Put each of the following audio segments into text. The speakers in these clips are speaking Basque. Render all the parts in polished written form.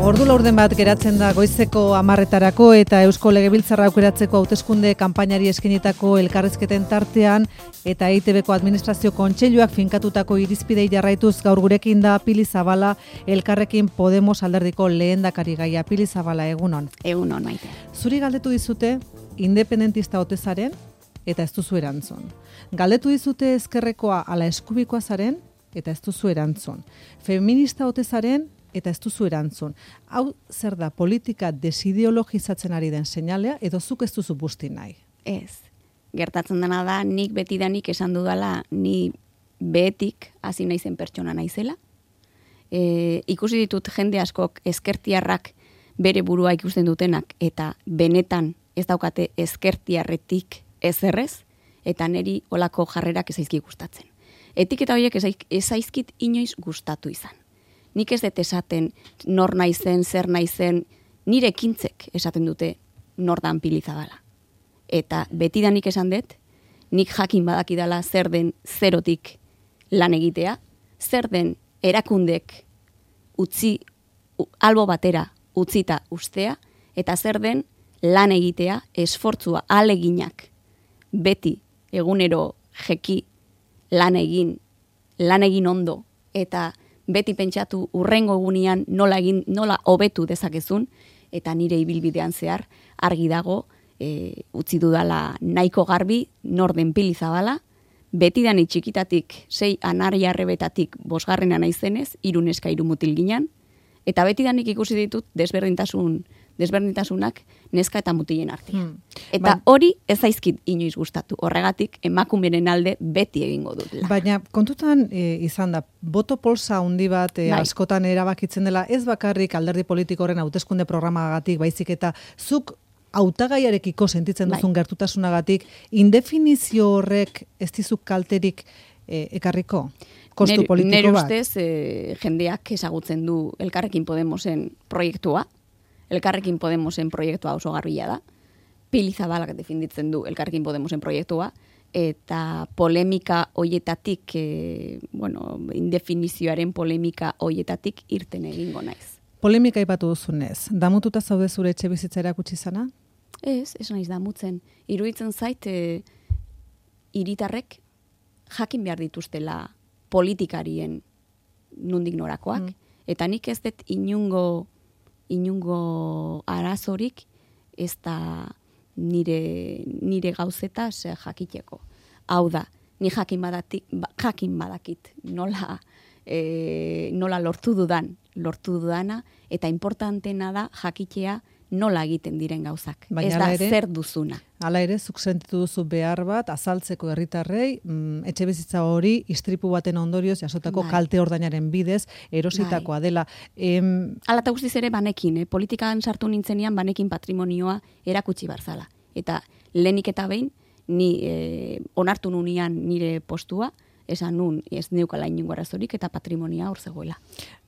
Ordu laurden bat geratzen da goizeko 10:00 eta Eusko Legebiltzarra aukeratzeko hauteskunde kanpainari eskenitako elkarrizketen tartean eta EITBko administrazio kontseiluak finkatutako irizpidei jarraituz gaur gurekin da Pili Zabala, Elkarrekin Podemos alderdiko lehendakarigaia. Pili Zabala, egunon. Egunon, Maite. Zuri galdetu dizute independentista ote zaren eta ez duzu erantzun. Galdetu dizute ezkerrekoa ala eskubikoa zaren eta ez duzu erantzun. Feminista ote zaren eta ez duzu erantzun. Hau zer da, politika desideologizatzen ari den seinalea edo zuk ez duzu busti nahi? Ez. Gertatzen dena da, nik betidanik esan dudala, ni behetik hasi naizen pertsona naizela. Ikusi ditut jende askok ezkertiarrak bere burua ikusten dutenak eta benetan ez daukate ezkertiarretik ezerrez, eta neri olako jarrerak ez zaizki gustatzen. Etiketa horiek ez zaizkit inoiz gustatu izan. Nik ez dut esaten nor naizen, zer naizen, nire ekintzek esaten dute nor dan Pili Zabala. Eta betidanik esan dut, nik jakin badakidala zer den zerotik lan egitea, zer den erakundek utzi albo batera utzita ustea, eta zer den lan egitea, esfortzua, ahaleginak, beti egunero jeki lan egin ondo, eta beti pentsatu urrengo egunean nola hobetu dezakezun, eta nire ibilbidean zehar argi dago, utzi dudala nahiko garbi, nor den Pili Zabala, betidanik txikitatik 6 anarriarrebetatik 5. naizenez, 3 neska 3 mutil ginen, eta betidanik ikusi ditut desberdintasunak neska eta mutilen artean. Eta hori ez zaizkit inoiz gustatu. Horregatik emakumeren alde beti egingo dut. Baina kontutan izan da, boto polsa handi bat askotan erabakitzen dela, ez bakarrik alderdi politikoren hauteskunde programagatik, baizik eta zuk hautagaiarekiko sentitzen duzun gertutasunagatik, indefinizio horrek ez dizuk kalterik ekarriko? Kostu politiko bat? Nire ustez, jendeak ezagutzen du Elkarrekin Podemosen proiektua. Elkarrekin Podemosen proiektua oso garbila da. Pili Zabalak defenditzen du Elkarrekin Podemosen proiektua. Eta polemika hoietatik, indefinizioaren polemika hoietatik irten egingo naiz. Polemika aipatu duzunez, damututa zaude zure etxe bizitza erakutsi zana? Ez naiz damutzen. Iruditzen zait, hiritarrek jakin behar dituztela politikarien nondik norakoak, eta nik ez dut inungo arazorik ez da nire gauzeta jakiteko. Hau da, ni jakin badakit nola lortu dudana, eta importantena da jakitea nola egiten diren gauzak. Ez da zer duzuna. Hala ere, zuk sentitu duzu behar bat, azaltzeko herritarrei, etxe bizitza hori istripu baten ondorioz jasotako kalte ordainaren bidez, erositakoa dela. Hala eta guztiz ere banekin, politikan sartu nintzenean banekin patrimonioa erakutsi barzala. Eta lehenik eta behin, ni onartu nunean nire postua, esan nun ez neukala inungo arazorik eta patrimonia hor zegoela.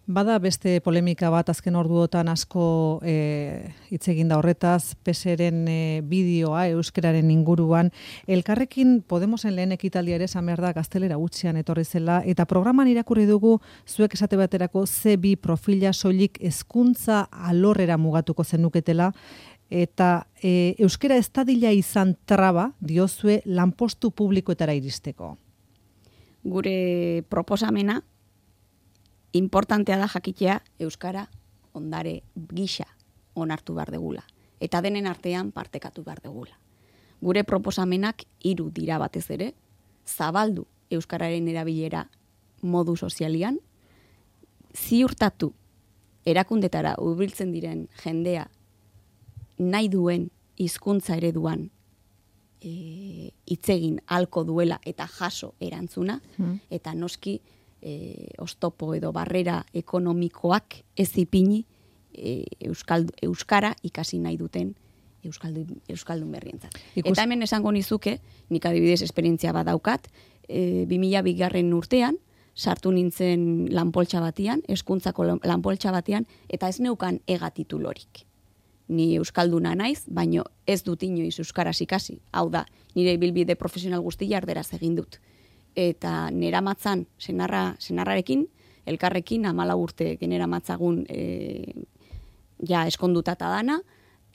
Bada beste polemika bat azken orduotan asko hitz egin da horretaz, PSren bideoa euskararen inguruan. Elkarrekin Podemosen lehen ekitaldia ere esan behar da gaztelera gutxian etorri zela, eta programan irakurri dugu zuek esate baterako C2 profila soilik hezkuntza alorrera mugatuko zenuketela, eta euskara ez dadila izan traba diozue lanpostu publikoetara iristeko. Gure proposamena importantea da jakitea euskara ondare gisa onartu behar degula. Eta denen artean partekatu behar degula. Gure proposamenak 3 dira batez ere, zabaldu euskararen erabilera modu sozialian, ziurtatu erakundetara hurbiltzen diren jendea nahi duen hizkuntza ereduan hitzegin halko duela eta jaso erantzuna, eta noski oztopo edo barrera ekonomikoak ez ipini euskara ikasi nahi duten euskaldun berrientzat. Eta hemen esango nizuke, nik adibidez esperientzia bat daukat, 2002 urtean, sartu nintzen lanpoltsa batian, hezkuntzako lanpoltsa batian, eta ez neukan titulorik. Ni euskalduna naiz, baino ez dut inoiz euskaraz ikasi. Hau da, nire ibilbide profesional guztia erderaz egin dut. Eta neramatzan senarrarekin, elkarrekin 14 urte generamatzagun ja eskondutata dana,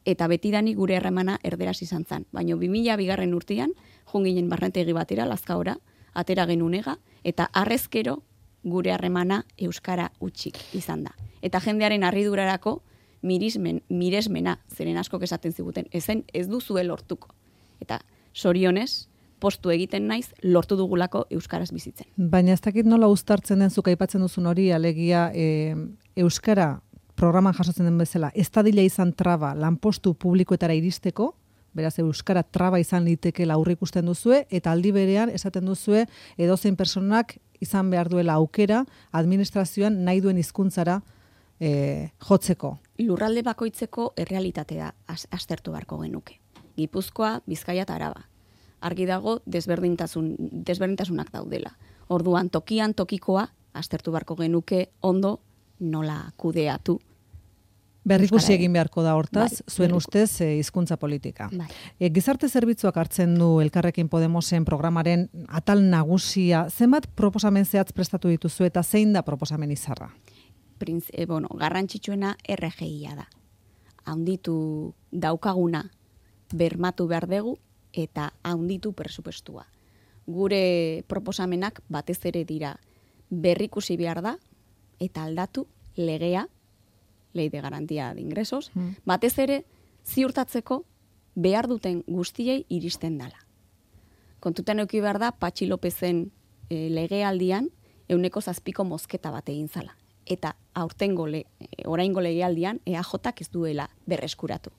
eta betidani gure harremana erderaz izan zen. Baina 2002 urtean, junginen barnetegi batera, Lazkaora, atera genunega, eta arrezkero gure harremana euskara utxik izan da. Eta jendearen harridurarako miresmena, zeren askok esaten ziguten, ez duzuel lortuko. Eta sorionez, postu egiten naiz, lortu dugulako euskaraz bizitzen. Baina ez dakit nola uztartzen den zuk aipatzen duzun hori, alegia euskara programan jasotzen den bezala, ez dadila izan traba lanpostu publikoetara iristeko, beraz euskara traba izan litekeela aurreikusten duzue, eta aldi berean esaten duzue edozein personak izan behar duela aukera administrazioan nahi duen hizkuntzara jotzeko. Lurralde bakoitzeko errealitatea aztertu beharko genuke. Gipuzkoa, Bizkaia eta Araba. Argi dago desberdintasunak daudela. Orduan tokian tokikoa aztertu beharko genuke ondo nola kudeatu. Berrikusi egin beharko da hortaz, zuen ustez hizkuntza politika. Gizarte zerbitzuak hartzen du Elkarrekin Podemosen programaren atal nagusia. Zenbat proposamen zehatz prestatu dituzu eta zein da proposamen izarra? Garrantzitsuena RGIa da. Haunditu daukaguna bermatu behar dugu eta haunditu presupuestua. Gure proposamenak batez ere dira berrikusi behar da eta aldatu legea, Ley de Garantía de Ingresos, batez ere ziurtatzeko behar duten guztiei iristen dela. Kontutan eduki behar da, Patxi Lopezen legealdian 7% mozketa bat egin zala. Eta oraingo legealdian EAJak ez duela berreskuratu.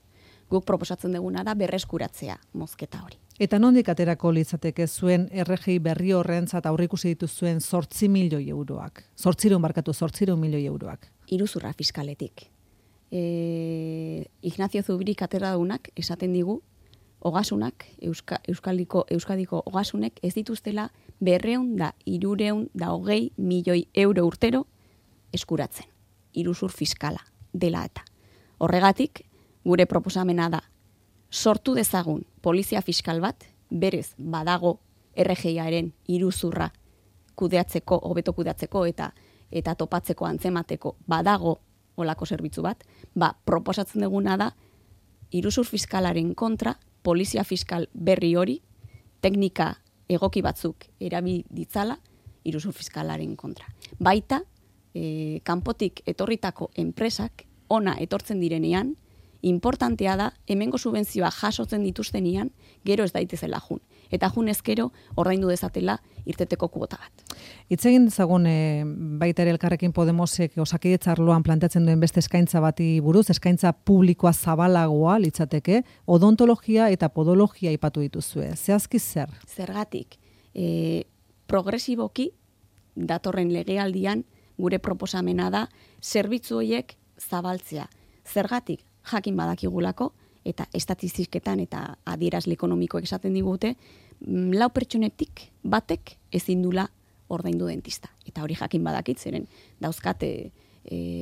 Guk proposatzen duguna da berreskuratzea mozketa hori. Eta nondik aterako litzateke zuen RGI berri horrentzat aurreikusi dituzuen 8 milioi euroak? 800 milioi euroak. Iruzurra fiskaletik. Ignacio Zubiri katedradaunak esaten digu, ogasunak, Euskadiko ogasunek ez dituztela 220 milioi euro urtero eskuratzen. Iruzur fiskala dela eta. Horregatik, gure proposamena da, sortu dezagun polizia fiskal bat, berez badago RGIaren iruzurra kudeatzeko, hobeto kudeatzeko eta topatzeko antzemateko badago olako zerbitzu bat, proposatzen duguna da, iruzur fiskalaren kontra, polizia fiskal berri hori, teknika egoki batzuk erabil ditzala, iruzur fiskalaren kontra. Baita, kanpotik etorritako enpresak, ona etortzen direnean, importantea da, hemengo subentzioa jasotzen dituztenian, gero ez daitezela jun. Eta jun ezkero, ordaindu dezatela irteteko kuota bat. Hitz egin dezagun baita ere Elkarrekin Podemosek Osakidetza arloan planteatzen duen beste eskaintza bati buruz, eskaintza publikoa zabalagoa litzateke, odontologia eta podologia aipatu dituzue. Zehazki zer? Zergatik, progresiboki datorren legealdian gure proposamena da zerbitzu horiek zabaltzea. Zergatik, jakin badakigulako, eta estatistiketan eta adierazle ekonomikoek esaten digute, 4 pertsonetik batek ezin dula ordaindu dentista. Eta hori jakin badakit, zeren dauzkate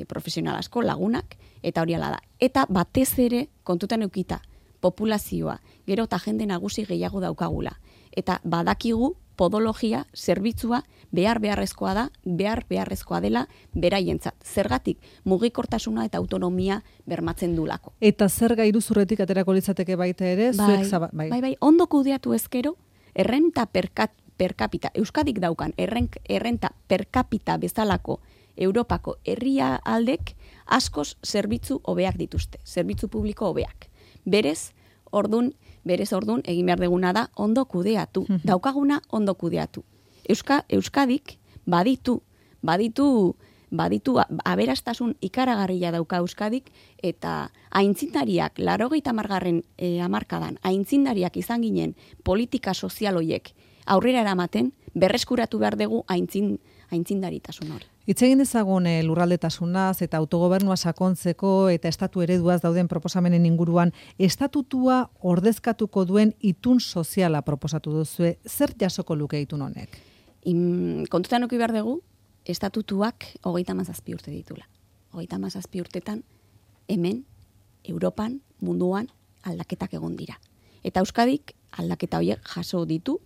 profesional asko, lagunak, eta hori ala da. Eta batez ere, kontutan eukita, populazioa, gero eta jende nagusi gehiago daukagula. Eta badakigu podologia zerbitzua beharrezkoa dela beraientzat. Zergatik mugikortasuna eta autonomia bermatzen dulako. Eta zerga iruzurretik aterako litzateke baita ere, bai, ondo kudeatu ezkero, errenta per capita, Euskadik daukan errenta per capita bezalako Europako herrialdek askoz zerbitzu hobeak dituzte, zerbitzu publiko hobeak. Berez ordun egin behar deguna da ondo kudeatu, daukaguna ondo kudeatu. Euskadik baditu aberastasun ikaragarria dauka Euskadik, eta aintzindariak, 80. hamarkadan, aintzindariak izan ginen politika sozial hoiek aurrera eramaten, berreskuratu behar dugu aintzindaritasun hori. Hitz egin dezagun lurraldetasunaz eta autogobernua sakontzeko eta estatu ereduaz dauden proposamenen inguruan, estatutua ordezkatuko duen itun soziala proposatu duzue, zer jasoko luke itun honek? Kontutan eduki behar dugu, estatutuak 37 urte ditula. 37 urtetan hemen, Europan, munduan aldaketak egon dira. Eta Euskadik aldaketa horiek jaso ditu,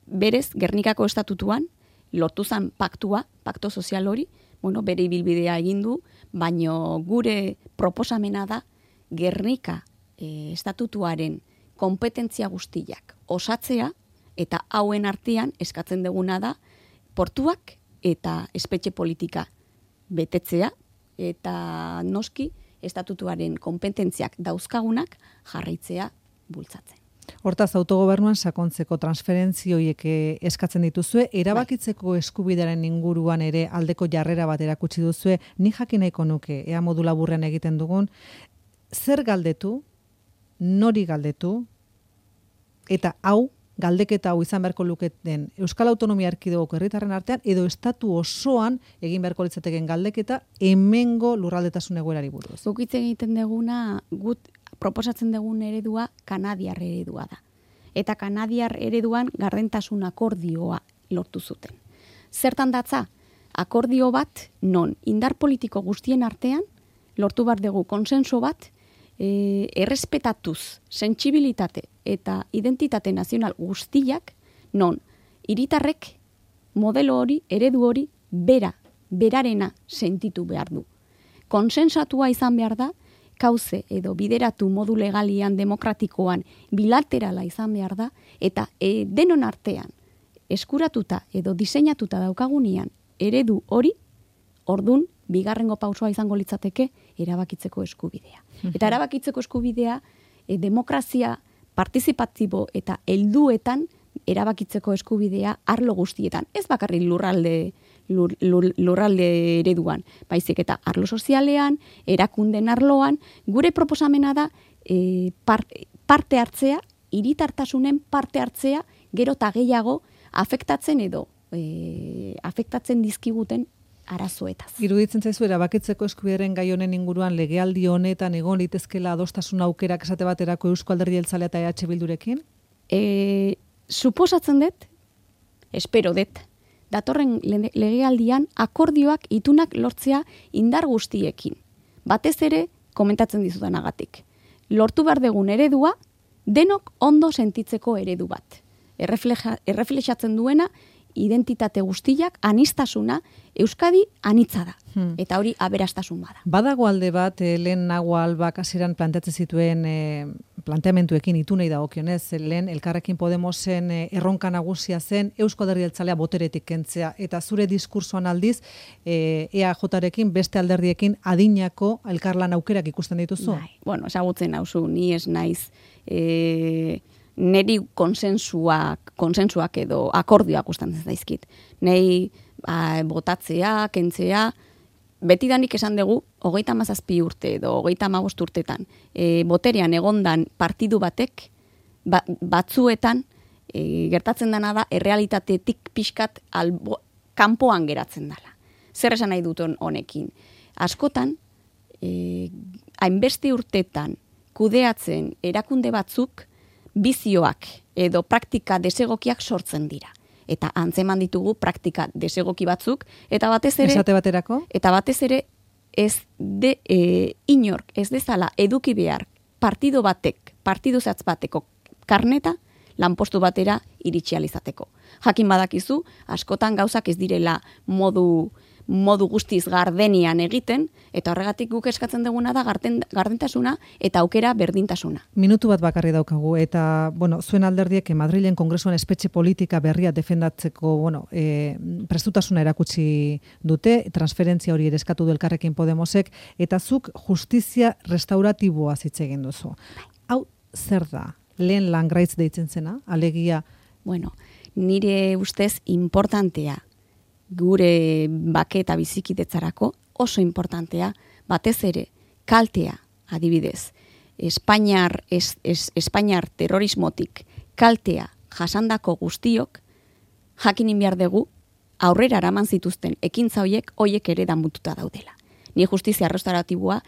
berez Gernikako estatutuan lortu zen pakto sozial hori, bere ibilbidea egin du, baino gure proposamena da Gernika estatutuaren kompetentzia guztiak osatzea, eta hauen artean eskatzen duguna da portuak eta espetxe politika betetzea, eta noski estatutuaren kompetentziak dauzkagunak jarraitzea bultzatzen. Hortaz, autogobernuan sakontzeko transferentzioiek eskatzen dituzue, erabakitzeko eskubidearen inguruan ere aldeko jarrera bat erakutsi duzue, ni jakin nahiko nuke, ea modu laburrean egiten dugun, zer galdetu, nori galdetu, eta hau, galdeketa hau izan beharko luketen Euskal Autonomia Erkidegoko herritarren artean, edo estatu osoan egin beharko litzateken galdeketa hemengo lurraldetasun egoerari buruz. Zuk hitz egiten deguna, gut proposatzen dugun eredua kanadiar eredua da. Eta kanadiar ereduan gardentasun akordioa lortu zuten. Zertan datza? Akordio bat non indar politiko guztien artean lortu behar dugu konsenso bat, errespetatuz, sentsibilitate eta identitate nazional guztiak, non hiritarrek modelo hori, eredu hori, berarena sentitu behar du. Konsensatua izan behar da, kauze edo bideratu modu legalian, demokratikoan, bilaterala izan behar da, eta denon artean eskuratuta edo diseinatuta daukagunean eredu hori, ordun bigarrengo pausoa izango litzateke erabakitzeko eskubidea. Eta erabakitzeko eskubidea demokrazia partizipatibo eta helduetan erabakitzeko eskubidea arlo guztietan. Ez bakarrik lurralde ereduan, baizik eta arlo sozialean, erakunden arloan, gure proposamena da parte hartzea, hiritartasunen parte hartzea, gero eta gehiago afektatzen edo afektatzen dizkiguten arazoetaz. Iruditzen zaizu erabakitzeko eskubidearen gai honen inguruan legealdi honetan egon litezkela adostasun aukerak esate baterako Euzko Alderdi Jeltzalea eta EH Bildurekin? Suposatzen dut, espero dut, datorren legealdian akordioak itunak lortzea indar guztiekin. Batez ere, komentatzen dizudanagatik. Lortu behar dugun eredua, denok ondo sentitzeko eredu bat. Erreflexatzen duena, identitate guztiak, anistasuna, Euskadi anitza da. Eta hori aberastasun bada. Badago alde bat, lehen Nagua Albak hasieran planteatzen zituen planteamentuekin itunei dagokionez, lehen Elkarrekin Podemosen erronka nagusia zen Euzko Alderdi Jeltzalea boteretik kentzea, eta zure diskursoan aldiz EAJarekin beste alderdiekin adinako elkarlan aukerak ikusten dituzu? Bai, ezagutzen nauzu, ni ez naiz neri konsensuak edo akordioak gustatzen zaizkit. Nei botatzea, kentzea, betidanik esan dugu, 37 urte edo 35 urtetan, boterean egondan partidu batek, batzuetan, gertatzen dena da, errealitatetik pixkat kanpoan geratzen dela. Zer esan nahi dut honekin? Askotan, hainbeste urtetan kudeatzen erakunde batzuk, bizioak edo praktika desegokiak sortzen dira. Eta antzeman ditugu praktika desegoki batzuk, eta batez ere... Esate baterako? Eta batez ere, inork ez dezala eduki behar partidu zehatz bateko karneta, lanpostu batera iritsi alizateko. Jakin badakizu, askotan gauzak ez direla modu guztiz gardenian egiten, eta horregatik guk eskatzen duguna da gardentasuna eta aukera berdintasuna. Minutu bat bakarri daukagu, eta zuen alderdiek Madrilen Kongresuan espetxe politika berria defendatzeko prestutasuna erakutsi dute, transferentzia hori ere eskatu du Elkarrekin Podemosek, eta zuk justizia restauratiboa hitz egin duzu. Hau zer da? Lehen langraitz deitzen zena, alegia? Nire ustez importantea gure bake eta bizikidetzarako oso importantea, batez ere, kaltea, adibidez, Espainiar terrorismotik kaltea jasandako guztiok, jakinin behar dugu, aurrera eraman zituzten ekintza hoiek ere damututa daudela. Ni justizia restauratiboa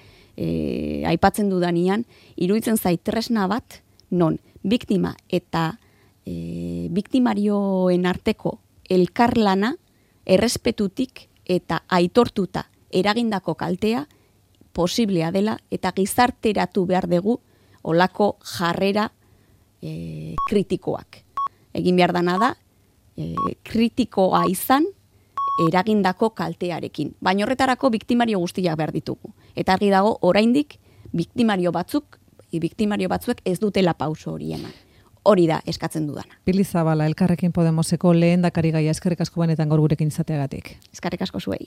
aipatzen dudanean, iruditzen zait tresna bat, non biktima eta biktimarioen arteko elkarlana errespetutik eta aitortuta eragindako kaltea posiblea dela eta gizarteratu behar dugu olako jarrera kritikoak. Egin behar dana da, kritikoa izan eragindako kaltearekin. Baina horretarako biktimario guztiak behar ditugu. Eta argi dago, oraindik biktimario batzuek ez dutela pauso hori eman. Hori da eskatzen dudana. Pili Zabala, Elkarrekin Podemoseko lehendakari gaia, eskerrik asko benetan gaur gurekin izateagatik. Eskerrik asko zuei.